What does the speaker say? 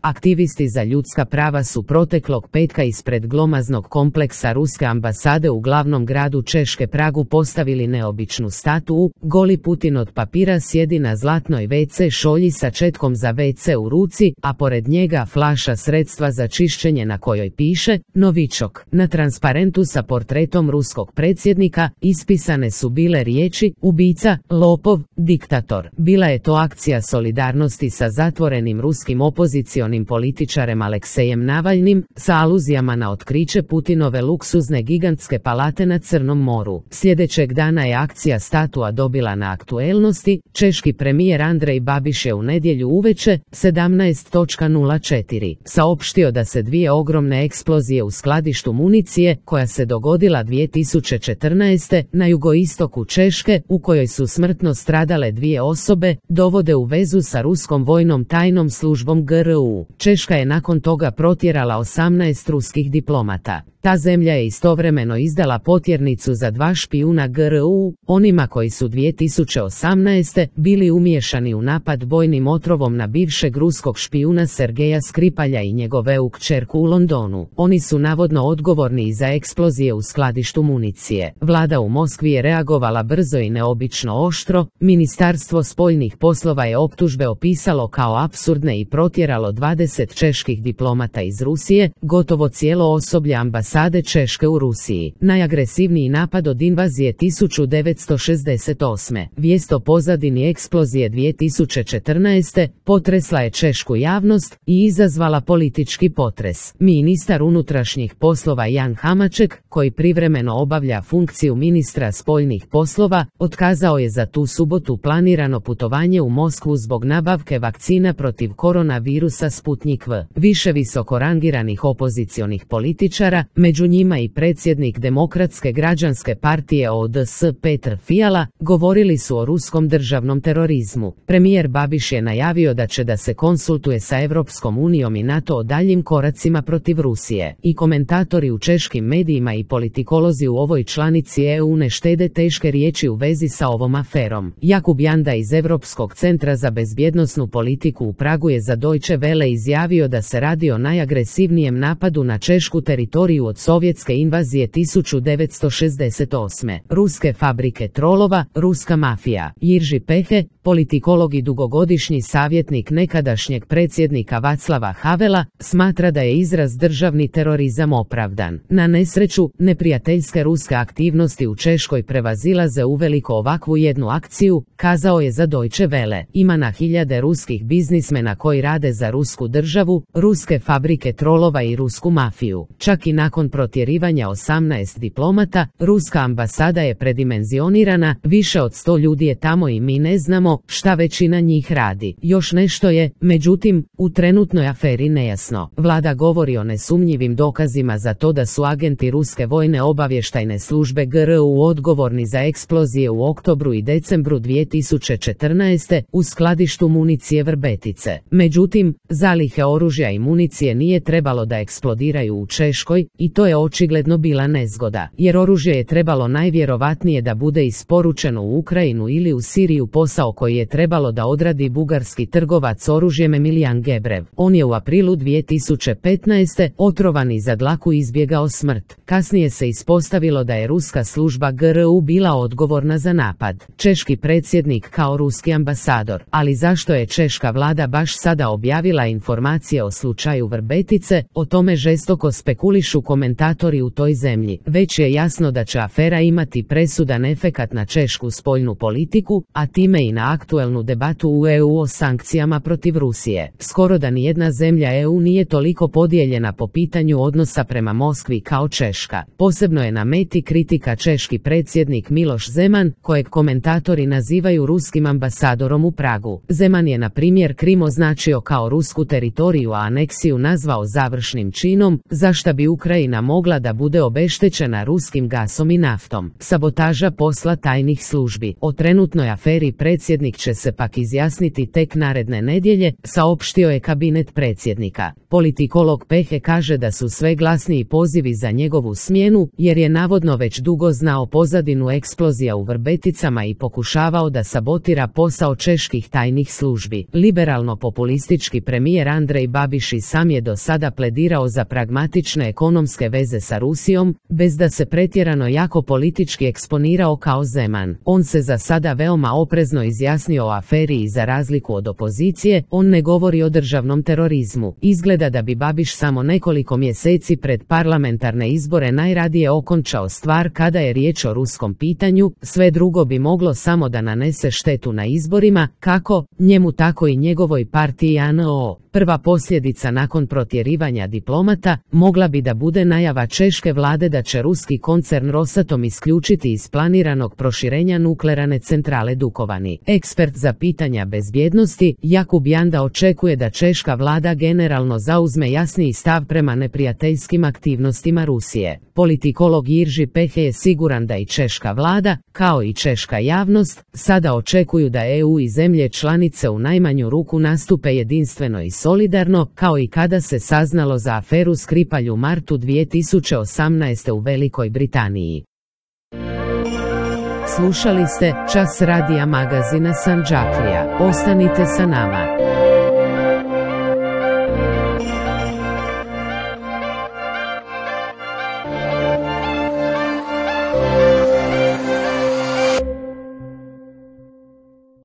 Aktivisti za ljudska prava su proteklog petka ispred glomaznog kompleksa ruske ambasade u glavnom gradu Češke Pragu postavili neobičnu statuu. Goli Putin od papira sjedi na zlatnoj WC šolji sa četkom za WC u ruci, a pored njega flaša sredstva za čišćenje na kojoj piše Novičok. Na transparentu sa portretom ruskog predsjednika ispisane su bile riječi ubica, lopov, diktator. Bila je to akcija solidarnosti sa zatvorenim ruskim opozicionim političarem Aleksejem Navalnim, sa aluzijama na otkriće Putinove luksuzne gigantske palate na Crnom moru. Sljedećeg dana je akcija statua dobila na aktuelnosti. Češki premijer Andrej Babiš je u nedjelju uveče 17:04 saopštio da se dvije ogromne eksplozije u skladištu municije, koja se dogodila 2014. na jugoistoku Češke, u kojoj su smrtno stradale dvije osobe, dovode u vezu sa ruskom vojnom tajnom službom GRU. Češka je nakon toga protjerala 18 ruskih diplomata. Ta zemlja je istovremeno izdala potjernicu za 2 špijuna GRU, onima koji su 2018. bili umiješani u napad bojnim otrovom na bivšeg ruskog špijuna Sergeja Skripalja i njegove kćerku u Londonu. Oni su navodno odgovorni i za eksplozije u skladištu municije. Vlada u Moskvi je reagovala brzo i neobično oštro. Ministarstvo spoljnih poslova je optužbe opisalo kao apsurdne i protjeralo 20 čeških diplomata iz Rusije, gotovo cijelo osoblje ambasade Češke u Rusiji. Najagresivniji napad od invazije 1968. Vijest o pozadini eksplozije 2014. potresla je češku javnost i izazvala politički potres. Ministar unutrašnjih poslova Jan Hamaček, koji privremeno obavlja funkciju ministra spoljnih poslova, otkazao je za tu subotu planirano putovanje u Moskvu zbog nabavke vakcina protiv koronavirusa Sputnik V. Više visoko rangiranih opozicionih političara, među njima i predsjednik Demokratske građanske partije ODS Petr Fiala, govorili su o ruskom državnom terorizmu. Premijer Babiš je najavio da se konsultuje sa Europskom unijom i NATO o daljim koracima protiv Rusije. I komentatori u češkim medijima i politikolozi u ovoj članici EU ne štede teške riječi u vezi sa ovom aferom. Jakub Janda iz Europskog centra za bezbjednosnu politiku u Pragu je za Deutsche Welle izjavio da se radi o najagresivnijem napadu na češku teritoriju od sovjetske invazije 1968. Ruske fabrike trolova, ruska mafija. Jirži Pehe, politikolog i dugogodišnji savjetnik nekadašnjeg predsjednika Václava Havela, smatra da je izraz državni terorizam opravdan. Na nesreću, neprijateljske ruske aktivnosti u Češkoj prevazilaze uveliko ovakvu jednu akciju, kazao je za Deutsche Welle. Ima na hiljade ruskih biznismena koji rade za rusku državu, ruske fabrike trolova i rusku mafiju. Čak i nakon protjerivanja 18 diplomata, ruska ambasada je predimenzionirana, više od 100 ljudi je tamo i mi ne znamo šta većina njih radi. Još nešto je, međutim, u trenutnoj aferi nejasno. Vlada govori o nesumnjivim dokazima za to da su agenti ruske vojne obavještajne službe GRU odgovorni za eksplozije u oktobru i decembru 2014. u skladištu municije Vrbetice. Međutim, zalihe oružja i municije nije trebalo da eksplodiraju u Češkoj i to je očigledno bila nezgoda, jer oružje je trebalo najvjerovatnije da bude isporučeno u Ukrajinu ili u Siriju, posao koji je trebalo da odradi bugarski trgovac oružjem Emilijan Gebrev. On je u aprilu 2015. otrovan i za dlaku izbjegao smrt. Kasnije se ispostavilo da je ruska služba GRU bila odgovorna za napad. Češki predsjednik kao ruski ambasador. Ali zašto je češka vlada baš sada objavila informacije o slučaju Vrbetice? O tome žestoko spekulišu komentatori u toj zemlji. Već je jasno da će afera imati presudan efekat na češku spoljnu politiku, a time i na aktuelnu debatu u EU o sankcijama protiv Rusije. Skoro da nijedna zemlja EU nije toliko podijeljena po pitanju odnosa prema Moskvi kao Češka. Posebno je na meti kritika češki predsjednik Miloš Zeman, kojeg komentatori nazivaju ruskim ambasadorom u Pragu. Zeman je na primjer Krim označio kao rusku teritoriju, a aneksiju nazvao završnim činom, za šta bi Ukrajina Ukrajina mogla da bude obeštećena ruskim gasom i naftom. Sabotaža posla tajnih službi. O trenutnoj aferi predsjednik će se pak izjasniti tek naredne nedjelje, saopštio je kabinet predsjednika. Politikolog Pehe kaže da su sve glasniji pozivi za njegovu smjenu, jer je navodno već dugo znao pozadinu eksplozija u Vrbeticama i pokušavao da sabotira posao čeških tajnih službi. Liberalno-populistički premijer Andrej Babiš i sam je do sada pledirao za pragmatične ekonomske veze sa Rusijom, bez da se pretjerano jako politički eksponirao kao Zeman. On se za sada veoma oprezno izjasnio o aferi i za razliku od opozicije, on ne govori o državnom terorizmu. Izgleda da bi Babiš samo nekoliko mjeseci pred parlamentarne izbore najradije okončao stvar kada je riječ o ruskom pitanju, sve drugo bi moglo samo da nanese štetu na izborima, kako njemu tako i njegovoj partiji ANO. Prva posljedica nakon protjerivanja diplomata mogla bi da bude najava češke vlade da će ruski koncern Rosatom isključiti iz planiranog proširenja nuklearne centrale Dukovani. Ekspert za pitanja bezbjednosti Jakub Janda očekuje da češka vlada generalno zauzme jasniji stav prema neprijateljskim aktivnostima Rusije. Politikolog Jirži Pehe je siguran da i češka vlada, kao i češka javnost, sada očekuju da EU i zemlje članice u najmanju ruku nastupe jedinstveno i solidarno, kao i kada se saznalo za aferu Skripalj u martu 2018. u Velikoj Britaniji. Slušali ste Čas radija magazina Sandžaklija. Ostanite sa nama.